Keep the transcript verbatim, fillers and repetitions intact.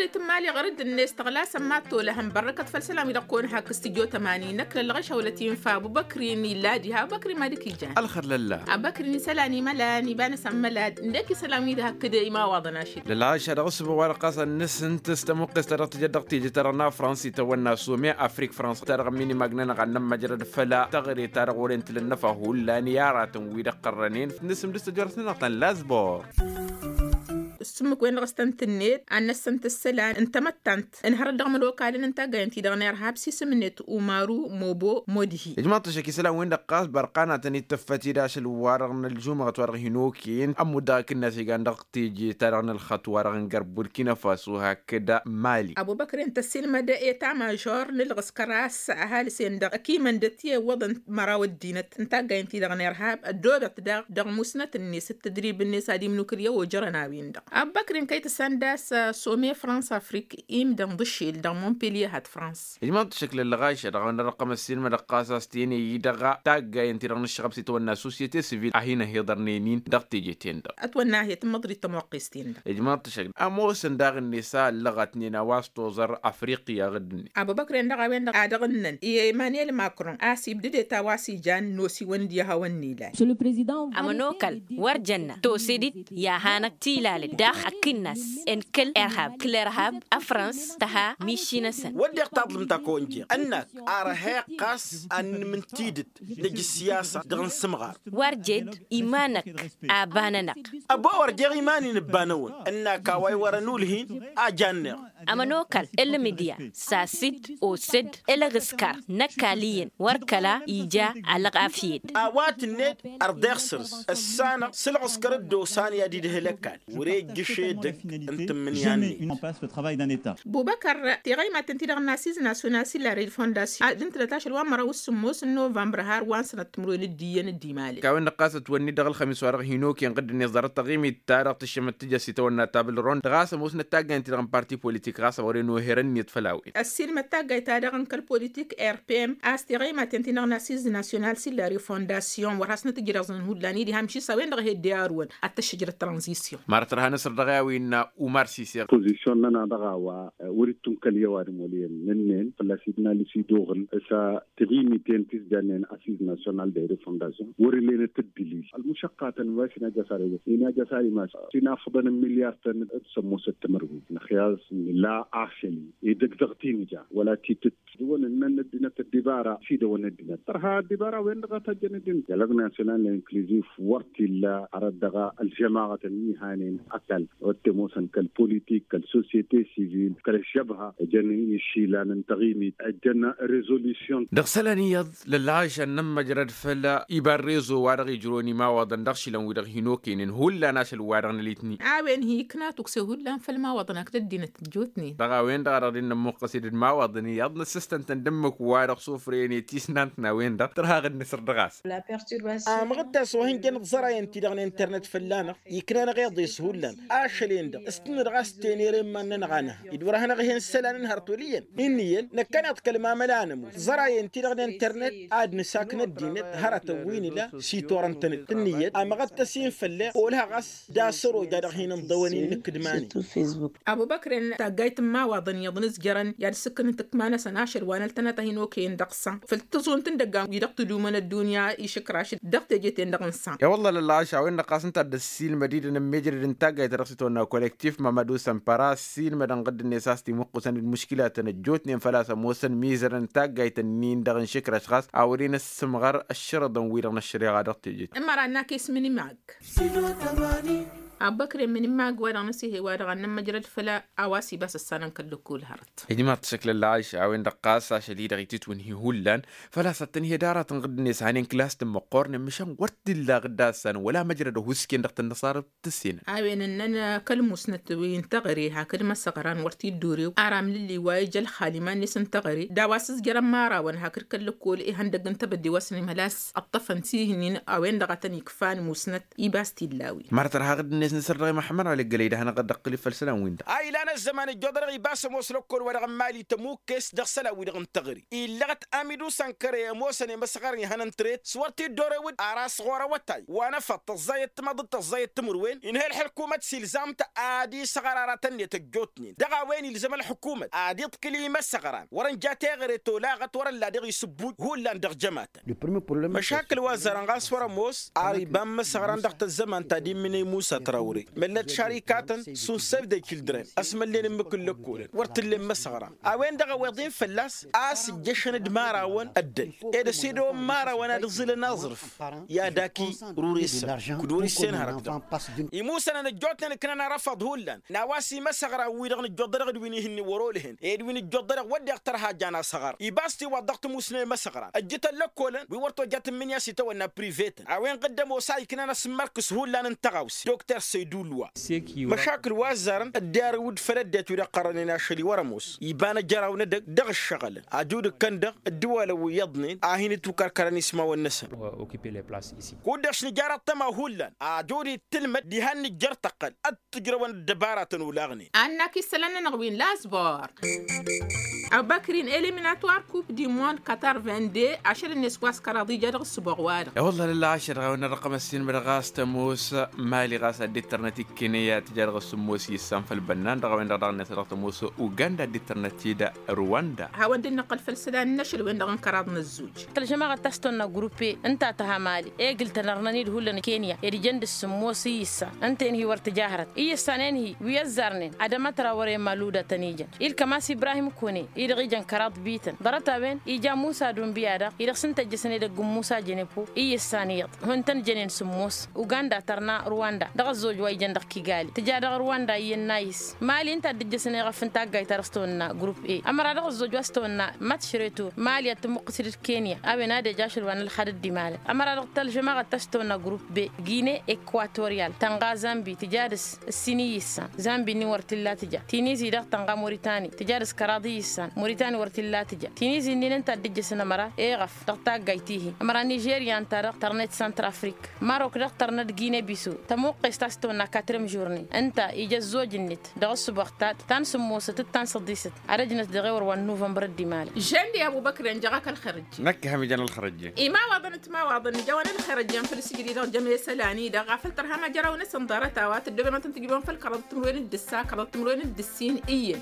Tǝmmali ɣur-dd-net tăɣlasăn mad-tolăhăn bărrăkăt făll-isălan wi-dăɣ kăwăn-hak s-tǝjjo tămani năkk lăllăɣeš awlăt infa abubăkri n-illa diha abubăkri mad-ikǝjjan. Ălxăr lălla. Abubăkri n-isălan imălan iba n-asăn mălad ǝndek isălan wi-dăɣ hakd imawaḍăn ašăl. Lălla ašăl dăɣ-s băwar ɣas ad-nǝsǝnt s-tămuqqes ta dăɣ-tijăt dăɣ-tijăt ta dăɣ-nafrăns itawănna some afrik frăns ta dăɣ-minimag n-anăɣ ad-nămmăjrăd făll-taɣre ta dăɣ-wăren tǝlănnăfa hullan i-aratăn wi-dăɣ qărrănen. Nǝsǝm dăɣ-s tăjorăt-nănăɣ tăn-lazbor. S-ǝmmǝk-wen-dăɣ s-tăn-tǝnned ad-năssăn-t isălan n-tamăttant ǝnhărăt dăɣ-imănokalăn n-taggayen-ti-dăɣ n-irhab s-isǝm-net umaru mobo modhi. Ijmaḍ-t ăššăk isălan-wen-dăɣ ɣas bărqanatăn-dd tǝffăt-dd ašăl-wa-dăɣ n-ălžumăɣăt wa-dăɣ hin-okăyăn ămmud dăɣ-akǝnnas igan dăɣ-teje-ta-dăɣ n-ălxăṭṭ wa-dăɣ n-gărbul kinăfasu hakd mali. Abubăkre n-tăssilmăd eta mažor n-ǝlɣǝskăr a-s ăhalǝs-en-dăɣ ăkimăn d-ăttiwăḍăn măraw ăddinăt n-taggayen-ti-dăɣ n-irhab ăddoobăt daɣ dăɣ-musnăt-net d-tadrib-net ad-imnukǝl i-ojărăn a-wen-dăɣ. Abubăkre n-kăy-tăsăn d-a-s some frans afrik imdăn d-ašil dăɣ-montpellier hat frans. Ijmaḍ-t šăkl ăllăɣašăt dăɣ-a-wen-dăɣ răqqăm ăssiilmădăɣ ɣas a-s tene-i-dăɣ taggayen-ti-dăɣ n-ǝššăɣăb s-itawănna societe sivil a hin-ăhiḍărnen-in dăɣ-teje-ten-dăɣ. Ătwănna a he-tǝmmăḍrit tămoqqes-ten-dăɣ. Ijmaḍ-t šăkl ămoosăn daɣ-net a ăllăɣătnen a-wa s-toẓăr afriqya ɣǝddǝnnen. Abubăkre-n-dăɣ a-wen-dăɣ a dăɣ-ǝnnăn i-emmanuel macron a-s ibdǝdet a-wa s-ijan n-osiwăn d-ihawăn n-ilal. Ămănokal wăr jănna tosedit i-ad-hanăɣ-tilalăt daɣ akǝnnas n-kăl-irhab kăl-irhab afrăns tăha miši-năsăn. Wădden taḍlǝmt a kăwăn-jeɣ ǝnnak arhăyăɣ ɣas ad-nǝmǝntidǝt năj ǝssiyasa dăɣ-nǝsǝmɣar. Wăr jed iman-năk aba-nănăɣ. Ăbo wăr jeɣ iman-in ǝbba-năwăn ǝnnak a-wa iwărăn ulhin a janneɣ. Ămănokal ǝlmǝdya sas-dd osăd ǝlɣǝskăr n-ăkall iyyăn wăr kăla ija alɣafyed. A-wa tǝnned ărḍeɣ săr-s ǝssanăɣ s-ǝlɣǝskăr dd-osan i-ad-idhǝl ăkall. Wăr-e ǝjjǝš edăgg n-tǝmmǝnǝya-net. Bubăkăr tiɣăymaten-ti-dăɣ n-asiz nasyonal s-illa refondasyon ad-ǝntǝnăt ašăl wa n-măraw s-sǝmmos n-novămbăr har wa n-sănăt timǝrwen d-iyyăn d-imalăn. Kawăn-dăɣ ɣas ătwănni dăɣ-ălxămis-wa-dăɣ hin-okăyăn ɣǝddǝnet ẓarăt taɣimit-ta-dăɣ tǝššămăt tǝjăs itawănna tabǝlrond dăɣ-a-s ămoosnăt taggayăn-ti-dăɣ n-parti politik ɣas a wăren oherăn-net făll-a-wen. Ăssiilmăd taggayt-ta-dăɣ n-kăl-politik r p m a-s tiɣăymaten-ti-dăɣ n-asiz nasyonal s-illa refondasyon wăr hasnăt-ǝjrăẓăn hullan-i diha amši s-a-wen-dăɣ a he-dd-iyyărǝwăn ad-t-ăššăjrăt tranzisyon. Mărăt tărha nǝsăr dăɣ-i a-wa innă umar siseɣ. Pozisyon-nănăɣ dăɣ-a-wa wăr-ittunkăl i-ăwadǝm wăl' iyyăn nǝnnen fălla-s idnal s-iduɣǝl s-a tiɣimiten ti s-jannen asiz nasyonal de refondasyon wăr-ǝllenăt ǝddǝlil ălmušăqqatăn wa s-inajj asar i-inajj asar imas s-inafăḍăn n-milyar-tăn d-sămmosăt timǝrwen năxyas nǝla ašăl-i edăgg dăɣ-tinǝja wăla titǝt. Dăɣ-wăn ǝnnăn ăddinăt ăddibara s-idăwăn ăddinăt tărha ăddibara-wen-dăɣ a tajjăn ăddinăt dialog nasyonal inkluzif wăr t-illa arăt dăɣ-ălžămaɣătăn wi hanen ăkall wăr t-ămoosăn kăl-politik kăl-sosyete sivil kăl-ăžžăbha ăjăn išilan n-taɣimit ăjăn rezolǝsyon. Dăɣ-isălan iyyăḍ lălɣašăn n-ămmăjrăd făll-iba n-rezo wa dăɣ-ijrăwăn imawaḍăn dăɣ-išilan-wi-dăɣ hin-okăynen hullan ašăl wa dăɣ-nălitni. A-wen hi-ikna tukse hullan făll-imawaḍăn hakd ăddinăt ăjjootnen. Dăɣ-a-wen-dăɣ a dăɣ-dd-nămmuqqăs-dd imawaḍăn iyyăḍ n-ăssistăn-tăn d-ǝmmǝk wa dăɣ-sufrăyăn i-tisnant n-a-wen-dăɣ tărha aɣǝd-năsăr dăɣ-a-s. Amăɣ-dd a-s wa hin-jăn ăẓẓărayăn-ti-dăɣ n-internet fălla-năɣ ikna-năɣ iḍes hullan ašăl-en-dăɣ s-tǝnnǝdăɣ a-s tenere n-iman-nănăɣ a nǝha dd-wăr-hanăɣ-hen isălan n-hărăt wăl' iyyăn. Inn'-iyyăn năkkăneḍ kăl-mamăla n-ămoos ăẓărayăn-ti-dăɣ n-internet ad-nǝsakn ăddinăt hărătăn wi nǝla s-itorăn-tăn-dd ǝnniyăt amăɣ-dd tăsin făll-e-ălha ɣas d-asăro ja dăɣ-hin-ǝnḍăwăn-in n-ikǝdmanen. Abubăkren taggayt n-imawaḍăn iyyăḍ n-ǝzjărăn i-ad-sǝkkǝnǝn tǝkma-năsăn ašăl wa n-ăltănăt a hin-okăyăn dăɣ-săn făll-tăẓunt n-idăggan wi dăɣ-tǝdumăn ăddunya išǝkraš dăɣ-teje-ten-dăɣ n-săn. I-wălla lălɣaš a-wen-dăɣ ɣas ǝnta a dd-ăssiilmăd-dd ănămmejrăd n-taggayt ta dăɣ-s itwănna kollektif mămădu sănpăra ăssiilmădăn ɣǝdd-net a-s timǝqqusăn d-muškilatăn ăjjootnen făl-a-s ămoosăn mizărăn taggayt-nin-dăɣ n-išǝkraš ɣas a wăren ăssǝmɣăr ăššărăḍăn-wi-dăɣ n-ăššăreɣa dăɣ-teje. Ămăra n-akes mǝnǝmag. Abubăkre mǝnǝmag wa dăɣ-năsihe wa dăɣ-ad-nămmăjrăd făll-a-wa s-ibas ăssanăn kăl-lăkkol hărăt. Ijmaḍ-t šăkl ălɣaš a-wen-dăɣ ɣas ašăl-i-dăɣ itǝtwǝnhi hullan făl-a-s ad-tǝnhed aratăn ɣǝddǝnet hanen kǝlas-tăn măqqornen măšan wăr t-illa ɣǝdda ăssanăn wăla măjrăd ăhuusken dăɣ-tăn-năṣarăt tǝssenăn. A-wen ǝnnăn kăl-musnăt wi n-teɣăre hakd măsăɣran wăr t-dd-urew ara amlǝlli wa ija ălxal iman-net n-teɣăre d-a-wa s-ǝzjărăn imărawăn hakd kăl-lăkkol ihăndăgg n-tebădde wa s-nǝmhăl a-s ăṭṭăfăn tihin-in. A-wen-dăɣ a tăn-ikfan musnăt ibas t-illa a-wen. Mărăt ărha ɣǝdd-net. Săr-dăɣ i-măḥămmăd ɣalăggălăy d-ad-hanăɣ-dd-ăqqǝl i-făll-isălan-win-dăɣ. A ilan ăzzăman ǝjjoḍărăɣ ibas ămoos lăkkol-wa-dăɣ n-imali tămukkes dăɣ-isălan-wi-dăɣ n-tăɣri illăɣ-t amidu sănkărăy ămoosăn i-imăsăɣărăn ihănăn tret s-wăr t-dd-orewăd ar asɣur awătay wa n-efăḍ tăẓẓayăt timăḍ d-tăẓẓayăt timǝrwen. Inha ălḥǝkumăt s-ilzam-t ad-isăɣăr aratăn-net ăjjootnen dăɣ-a-wen ilzăm ălḥǝkumăt ad-iḍkǝl i-imăsăɣran wăr-ănja teɣăre tolaɣăt wăr-ălla dăɣ-isǝbbut hullan dăɣ-jămatăn. Măšakǝl wa ăzzarăn ɣas wăr-ămoos ar iba n-imăsăɣran dăɣ-tăzzămant ta dd-immǝnăy musa trawre măllăt šarikatăn šund săbdăy kildren ăsmălnen ǝmmǝk n-lăkkolăn wăr t-ǝllen imăsăɣran a-wen-dăɣ ăweḍ-in fălla-s a-s ǝjjăšăn d-imarawăn ăddăl ed ăsidăwăn imarawăn ad-ǝẓǝlăn aẓrǝf i-ad-aki rurǝyăsăn kud wăr-issen hărăt-dăɣ. Imusănăn ăjjootnen ǝknan arăfăḍ hullan n-a-wa s-imăsăɣran-wi-dăɣ nǝjjoḍărăɣ d-wi n-ihǝnnin wăr-olăhăn ed wi nǝjjoḍărăɣ wădden tărha jan asăɣăr ibas tiwaḍ dăɣ-tǝmusna i-imăsăɣran ăjjǝtăn lăkkolăn wi wăr tojjat ǝmmǝnǝya s-itawănna privetăn a-wen ɣǝddăm osa iknan asǝmmărkǝs hullan n-tăɣawse dokter săydulwa. Măšakǝl wa ăzzarăn dd-irǝwǝd făll-ăddinăt wi dăɣ-qărrănen ašăl-i wăr-ămoos iba n-ajăraw n-edăgg dăɣ-ǝššăɣǝlăn ajud ǝkkăn-dăɣ dd-iwalăn wi iyyăḍnen a hin-ǝttukărkărăn ismawăn-năsăn. Kud-dăɣ s-nǝjar ăṭṭăma hullan ajud ittǝlmăd diha n-nǝjjăr tăqqăl ăttǝjrăwăn ăddăbaratăn olaɣnen. Annăk isălan-nănăɣ wi n-lazbor ăbăkrin eliminatwar kup dimon katar vende ašăl-net wa s-kăraḍ ija dăɣ-ǝssǝboɣ-wa-dăɣ. E-wălla lălla ašăl dăɣ-a-wen n-ărrăqăm ăssiinmăd ɣas tămoos mali ɣas ad-dd-tărnăt ikkeneya tǝja dăɣ-s ămoos issan făll-bănnan dăɣ-a-wen-dăɣ daɣ-net ad-dăɣ-tămoos uganda ad-dd-tărnăt-dd rwanda. Hawăn-dd-nǝqqǝl făll-isălan n-ašăl-wen-dăɣ n-kăraḍ n-ăzzuj. Tălžămaɣăt ta s-tăwănna gruppe ǝnta a tăha mali egǝl-tăn ărnăn-dd hullan kenya ed ijăn dăɣ-s ămoos iyyǝssan ǝnta-en hi-wăr tǝja hărăt iyyǝssan-en-hi wi ăzzarnen ad-ămătra wăr-e maluda tăn-ijăn. Ilkăm a-s ibrahim kone-i-dăɣ ijăn kăraḍ bităn ḍarăt-a-wen ija musa dunbiya-dăɣ-i dăɣ-s ǝnta ǝjjăsăn edăgg n-musa jănepo iyyǝssan iyyăḍ ihun-tăn jănen s-ămoos uganda tărna rwanda dăɣ-ăzzoj wa ijăn dăɣ-kigali tǝja dăɣ-rwanda iyyăn n-ayǝs mali ǝnta a dd-ǝjjăsăn eɣăf n-taggayt ta dăɣ-s tăwănna grupp e. Ămăra dăɣ-ăzzoj wa s-tăwănna mătšreto mali ad-tămuqqǝs d-kenya a-wen ad-ej ašăl wa n-ălxad dd-imalăn ămăra dăɣ-tălžămaɣăt ta s-tăwănna grupp be gine ekwatoriyal tănɣa zambi tǝja dăɣ-s ǝssin iyyǝssan zambi-nin wăr t-illa tǝja tinizi-dăɣ tănɣa moritani tǝja dăɣ-s kăraḍ iyyǝssan moritani wăr t-illa tǝja tinizi-nin ǝnta a dd-ǝjjăsăn ămăra eɣăf dăɣ-taggayt-ihi ămăra nižerya ǝnta-dăɣ tărnet săntrafrik marok dăɣ-tărnăt gine biso tămuqqes ta s-tăwănna katrem žurne ǝnta ija ăzzoj-net dăɣ-ǝssǝboɣ ta n-sǝmmosăt d-ta n-săḍisăt ad-ăjnăt dăɣ-ewăr wa n-nuvămbăr d-imalăn. Žănde abu băkr i-ănjăɣ-ak ălxărăjje. Năkk ihăm ijan ălxărăjje. Imawaḍăn d-timawaḍăn ǝjawăn ălxărăjje n-făll-sǝjdǝy dăɣ-jămesălan-i-dăɣ ɣafăl tărham ajăraw-năsăn ḍarăt-a-wa tăddobem ad-tăn-tǝjbăm făll-kăraḍăt timǝrwen d-ǝssa kăraḍăt timǝrwen d-ǝssin iyyăn.